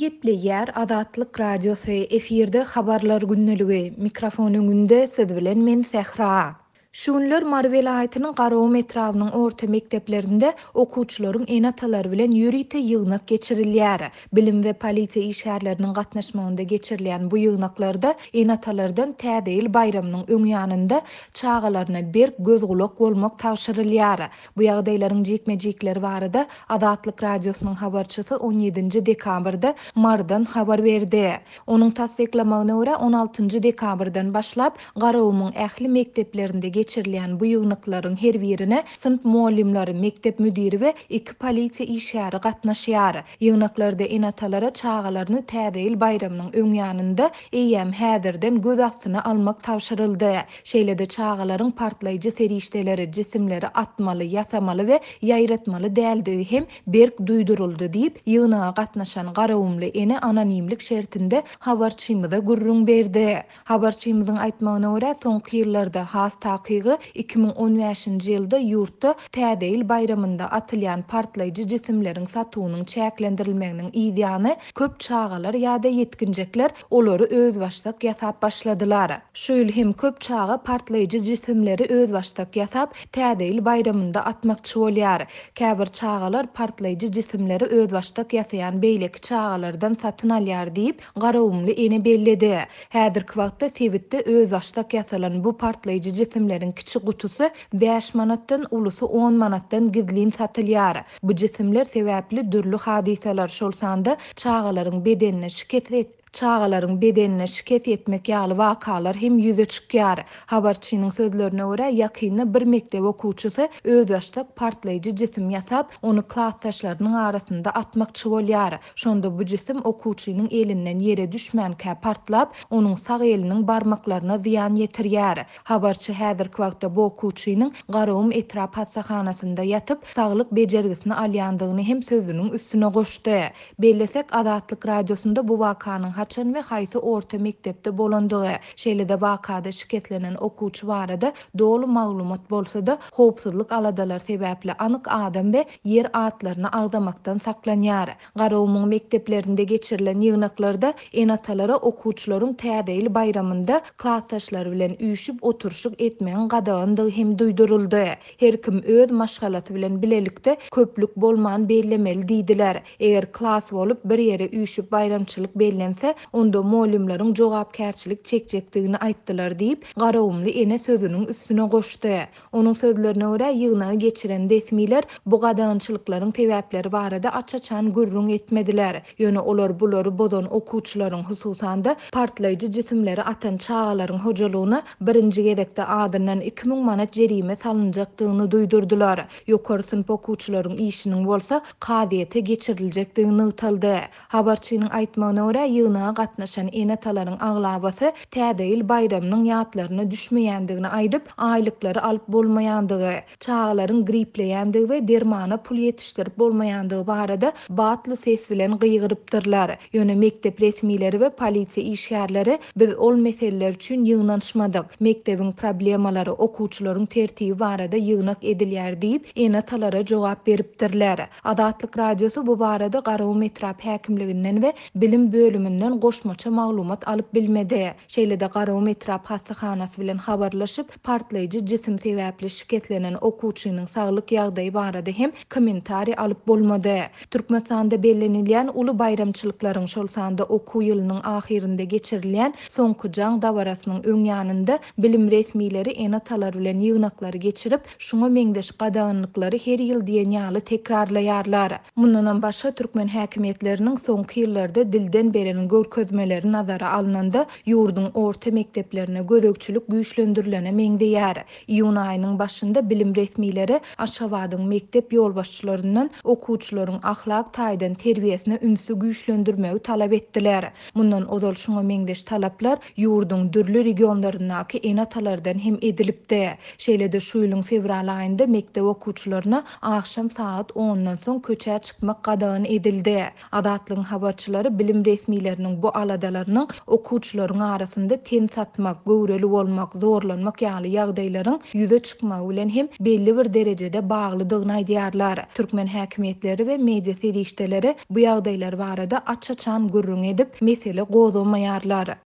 Gepleýär Azatlyk Radiosy, efirde Habarlar gündeligi, mikrofon öňünde siz bilen men Sähra. Şu günler Mary welaýatynyň Garagum etrabynyň orta mekdeplerinde okuwçylaryň ene-atalary bilen ýörite ýygnak geçirilýär. Bilim we polisiýa işgärleriniň gatnaşmagynda geçirilýän bu ýygnaklarda ene-atalardan Täze ýyl baýramynyň öň ýanynda çagalaryna berk göz-gulak bolmak tabşyrylýar. Bu ýagdaýlaryň jikme-jikleri barada Azatlyk Radiosynyň habarçysy on ýedinji dekabrda Marydan habar berdi. Onuň tassyklamagyna görä, on altynjy dekabrdan başlap, Garagumuň ähli mekdeplerinde geçirilýän bu ýygnaklaryň her birine synp mugallymlary, mekdep müdiri we iki polisiýa işgäri gatnaşýar. Ýygnaklarda ene-atalara çagalaryny Täze ýyl baýramynyň öň ýanynda eýýäm häzirden göz astyna almak tabşyryldy. Şeýle-de çagalaryň partlaýjy serişdeleri, jisimleri atmaly, ýasamaly we ýaýratmaly däldigi hem berk duýduryldy diýip, ýygnaga gatnaşan garagumly ene anonimlik şertinde habarçymyza gürrüň berdi. Habarçymyzyň aýtmagyna görä, soňky ýyllarda, has takygy, 2015-nji ýylda ýurtda Täze ýyl baýramynda atylýan partlaýjy jisimleriň satuwynyň çäklendirilmeginiň yzýany, köp çagalar ýa-da ýetginjekler olary özbaşdak ýasap başladylar. Şu ýyl hem köp çaga partlaýjy jisimleri özbaşdak ýasap, Täze ýyl baýramynda atmakçy bolýar. Käbir çagalar partlaýjy jisimleri özbaşdak ýasaýan beýleki çagalardan satyn alýar diýip, garagumly ene belledi. Häzirki wagtda sebitde özbaşdak ýasalan bu partlaýjy jisimleriň kiçi gutusy bäş manatdan, ulusy on manatdan gizlin satylýar. Bu jisimler sebäpli dürli hadysalar, şol sanda çagalaryň bedenine şikes çagalaryň bedenine şikes ýetmek ýaly wakalar hem ýüze çykýar. Habarçynyň sözlerine görä, ýakynda bir mekdep okuwçysy özbaşdak partlaýjy jisim ýasap, ony klasdaşlarynyň arasynda atmakçy bolýar. Şonda bu jisim okuwçynyň elinden ýere düşmänkä partlap, onuň sag eliniň barmaklaryna zyýan ýetirýär. Habarçy häzirki wagtda bu okuwçynyň Garagum etrap hassahanasynda ýatyp, saglyk bejergisini alýandygyny hem sözüniň üstüne goşdy. Bellesek, Azatlyk Radiosynda bu wakanyň haçan we haýsy orta mekdepde bolandygy, şeýle-de wakada şikeslenen okuwçy barada doly maglumat bolsa-da, howpsuzlyk aladalary sebäpli anyk adam we ýer atlaryny agzamakdan saklanýar. Garagumuň mekdeplerinde geçirilen ýygnaklarda ene-atalara okuwçylaryň Täze ýyl baýramynda klasdaşlary bilen üýşüp oturyşyk etmegiň gadagandygy hem duýduryldy. Her kim öz maşgalasy bilen bilelikde köplük bolman bellemeli diýdiler. Eger klas bolup bir ýere üýşüp baýramçylyk bellense, onda mugallymlaryň jogapkärçilik çekjekdigini aýtdylar diýip, garagumly ene sözüniň üstüne goşdy. Onuň sözlerine görä, ýygnagy geçiren resmiler bu gadagançylyklaryň sebäpleri barada aç-açan gürrüň etmediler. Ýöne olar bulary bozan okuwçylaryň, hususan-da, partlaýjy jisimleri atan çagalaryň hojalygyna birinji gezekde azyndan 2000 manat jerime salynjakdygyny duýdurdylar. Ýokary synp okuwçylaryň işiniň bolsa kazyýete geçiriljekdigi nygtaldy. Habarçynyň aýtmagyna görä, ýygnaga gatnaşan ene-atalaryň aglabasy Täze ýyl baýramynyň ýatlaryna düşmeýändigini aýdyp, aýlyklary alyp bolmaýandygy, çagalaryň gripleýändigi we dermana pul ýetişdirip bolmaýandygy barada batly ses bilen gygyrypdyrlar. Ýöne mekdep resmileri we polisiýa işgärleri biz ol meseleler üçin ýygnanyşmadyk, mekdebiň problemalary, okuwçylaryň tertibi barada ýygnak edilýär diýip, ene-atalara jogap beripdirler. Azatlyk Radiosy bu barada Garagum etrap häkimliginden we bilim bölüminden goşmaça maglumat alyp bilmedi. Şeýle-de Garagum etrap hassahanasy bilen habarlaşyp, partlaýjy jisim sebäpli şikeslenen okuwçynyň saglyk ýagdaýy barada hem kommentariý alyp bolmady. Türkmenistanda bellenilýän uly baýramçylyklaryň, şol sanda okuw ýylynyň ahyrynda geçirilýän Soňky jaň dabarasynyň öň ýanynda bilim resmileri ene-atalar bilen ýygnaklary geçirip, Şuňa meňzeş gadaganlyklary her ýyl diýen ýaly tekrarlaýarlar. Mundanam başga türkmen häkimiýetleriniň soňky ýyllarda dilden beren görkezmeleri nazara alnanda, ýurduň orta mekdeplerine gözegçilik güýçlendirilene meňzeýär. Iýun aýynyň başynda bilim resmileri Aşgabadyň mekdep ýolbaşçylaryndan okuwçylaryň ahlak taýdan terbiýesine ünsi güýçlendirmegi talap etdiler. Mundan ozal şuňa meňzeş talaplar ýurduň dürli regionlaryndaky ene-atalardan hem edilipdi. Şeýle-de şu ýylyň fewral aýynda mekdep okuwçylaryna agşam sagat ondan soň köçä çykmak gadagan edildi. Azatlygyň habarçylary bilim resmileriniň ene-atalarynyň bu aladalarynyň okuwçylaryň arasynda ten satmak, göwreli bolmak, zorlanmak ýaly ýagdaýlaryň ýüze çykmagy bilen hem belli bir derejede baglydygyny aýdýarlar. Türkmen häkimiýetleri we media serişdeleri bu ýagdaýlar barada aç-açan gürrüň edip, mesele gozgamaýarlar.